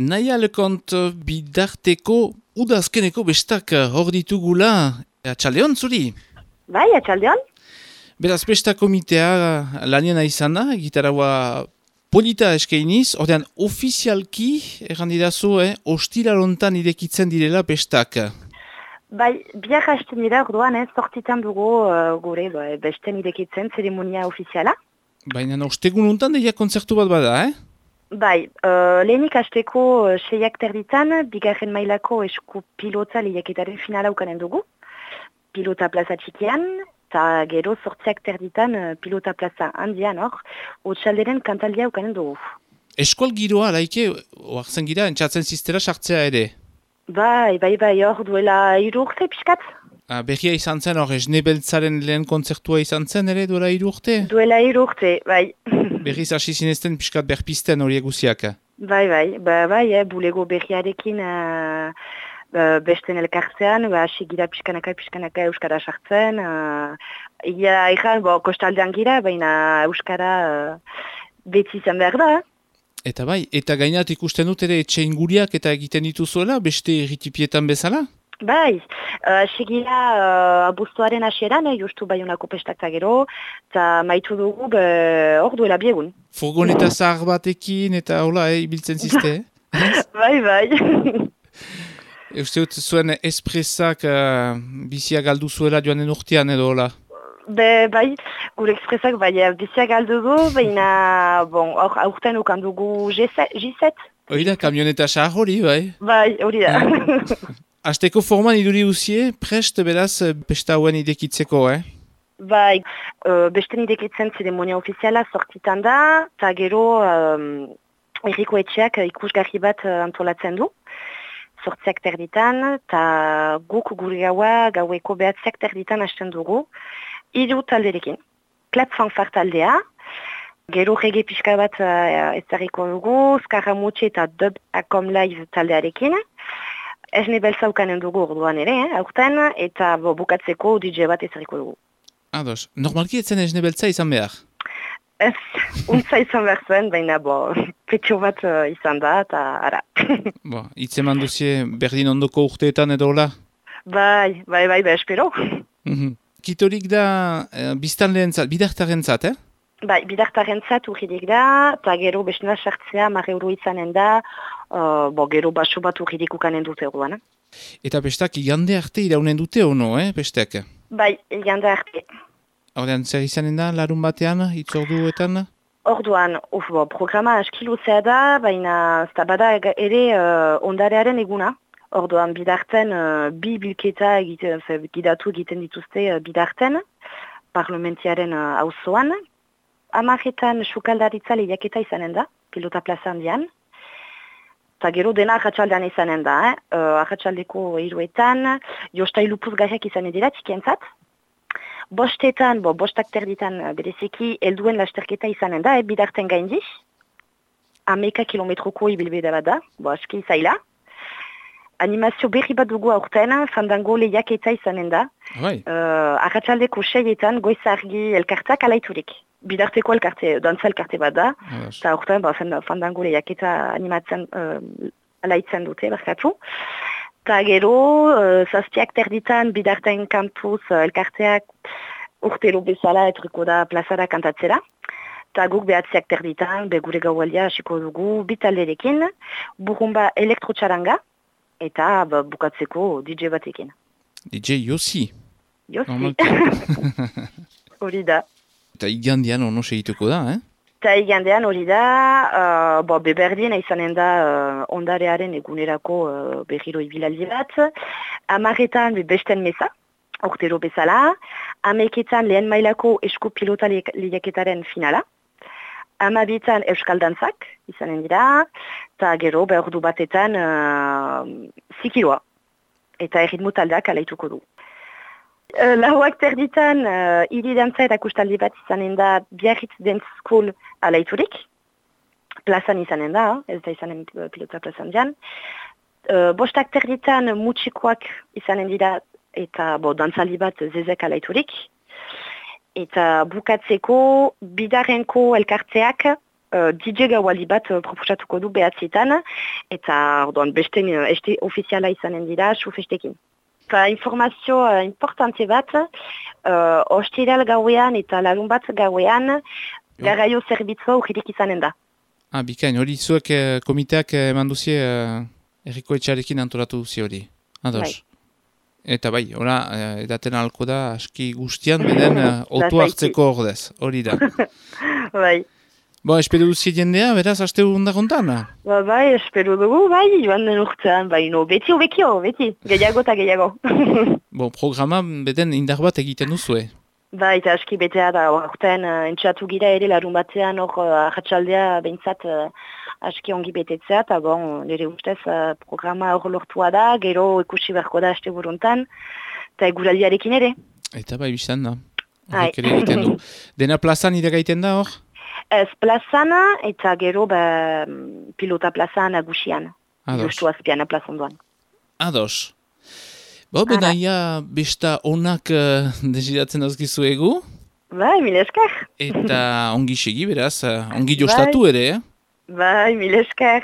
Naia lekont bidarteko udazkeneko bestak hor ditugula, atxaldeon zuri? Bai, atxaldeon? Beraz, besta komitea laniena izan da, gitaraua polita eskeiniz, ordean ofizialki, errandidazu, ostilalontan irekitzen direla bestak. Bai, biak hasten dira orduan, sortzitan dugu gure besten irekitzen zeremonia ofiziala. Baina ostegun untan deia kontzertu bat bada, Bai, lehenik hasteko 6 terditan, bigarren mailako esku pilota lehiaketaren finala ukanen dugu. Pilota plaza txikian, eta gero 8 terditan pilota plaza handian hor, otxalderen kantaldia ukanen dugu. Eskual giroa, laike, oartzen gira, entzatzen ziztera sartzea ere. Bai, hor duela 3 urte pixkat. Berria izan zen, hor esnebeltzaren lehen kontzertua izan zen ere duela 3 urte? Duela 3 urte, bai. Berriz hasi zinezten pixkat berpisten horiek guziak. Bai, bulego berriarekin besten elkartzean, hasi gira pixkanaka euskara sartzen. Kostaldean gira, baina euskara beti izan behar da. Eta bai, eta gainat ikusten dut ere etxe inguriak eta egiten dituzuela, beste erritipietan bezala? Bai, segira abuztuaren hasieran, justu Baionako pestak gero, eta maitu dugu hor duela biegun. Furgoneta zahar batekin eta hola, ibiltzen zizte, Bai. Uste dut zuen espresak bizia galdu zuela joanen urtean edo hola? Bai, gure espresak bizia galdu du, baina hor aurten ukan dugu G7. Hori da, kamioneta zahar hori, bai? Bai, hori da. Azteko forman iduri uzie, prest beraz pesta hauen idekitzeko, Bai, besten idekitzen zeremonia ofiziala sortzitan da, eta gero erriko etxeak ikusgarri bat antolatzen du. 8 terditan, eta guk gure gaueko 9 terditan hasten dugu, 3 talderekin. Klap fanfar taldea, gero rege pixka bat ezarriko dugu, Skaramutxe eta Dub Akom Live taldearekin. Esne beltza ukanen dugu orduan ere, aurten, eta bukatzeko DJ bat ezarriko dugu. Ados, normalki etzen esne beltza izan behar? Ez, untza izan behar zuen, baina petxo bat izan da, eta ara. Itzeman duzie berdin ondoko urteetan edo hola? Bai, espero. Kitorik da biztanleentzat, bidartarentzat, Bai, bidartarentzat urridik da, eta gero bestena sartzea 10 euro izanen da, gero baso bat urridik ukanen dute orduan. Eta bestak igande arte iraunen dute ono, bestek? Bai, igande arte. Ordean, zer izanen da, larun batean, itzorduetan? Orduan, programa askiluzea da, baina bada ere ondarearen eguna. Orduan, bidarten, bi bilketa gidatu egiten dituzte bidarten, parlamentiaren auzoan. 10etan sukaldaritza lehiaketa izanen da, pilota plaza handian. Eta gero dena arratsaldean izanen da, arratsaldeko 3etan, jostailu puzgarriak izanen dira txikientzat. 5etan, 5 terditan bereziki helduen lasterketa izanen da, bidarten gaindiz. 11 kilometroko ibilbide bat da, aski zaila. Animazio berri bat dugu aurten, fandango lehiaketa izanen da. Arratsaldeko 6etan goizargi elkarteak alaiturik. Bidarteko dantza elkarte bat da, eta aurten fandango lehiaketa animatzen alaitzen dute, barkatu. Eta gero, 7 terditan bidarten kampuz elkarteak urtero bezala etriko da plazara kantatzera. Eta guk 9 terditan, gure gaualdia hasiko dugu bitalderekin, burumba elektrotxaranga, eta bukatzeko DJ batekin. DJ Yossi? Yossi. Hori da. Eta igandean ono segituko da, Eta igandean hori da, beberdien izanen da ondarearen egunerako berriro ibilaldi bat. 10etan besten meza, urtero bezala. 11etan lehen mailako esku pilota lehiaketaren finala. 12etan euskal dantzak izanen dira, eta gero ordu batetan zikiloa. Eta erritmo taldeak alaituko du. 4 terditan, hiri dantza eta kustaldi bat izanen da Biarritz Dance School alaiturik. Plazan izanen da, ez da izanen pilota plazan dian. 5 terditan mutxikoak izanen dira eta dantzaldi bat zezek alaiturik. Eta bukatzeko bidarenko elkartzeak DJ gauali bat proposatuko du behatzietan, eta orduan beste este ofiziala izanen dira, sufestekin. Eta informazio importante bat, ostiral gauean eta larun bat gauean, garraio zerbitzua urririk izanen da. Bikain, hori zuek komiteak eman duzie erriko etxarekin antolatu duzie hori. Ados. Bai. Eta bai, ora, edaten halko da, aski guztian, beden, otu hartzeko ordez, hori da. Bai. Espero duzie jendea, beraz, aste hunda kontan? Bai, espero dugu, bai, joan den urtean, bai, no, beti hobekio, beti, gehiago eta gehiago. Programa, beden, indar bat egiten duzue. Bai, eta aski betea da, urtean, entxatu gira ere, larun batean, arratsaldea behintzat, aski ongi betetzea, eta nire ustez programa hor lortua da, gero ikusi beharko da aste buruntan, eta eguraldiarekin ere. Eta bai, biztan da. Horrek ere egiten du. Dena plazan ide gaiten da hor? Ez plazan, eta gero pilota plazan nagusian. Justu azpian plazan duan. Ados. Benaia besta onak desiratzen dauzkizu egu? Bai, mil esker. Eta ongi segi beraz, ongi jostatu ere, Bai, mil esker.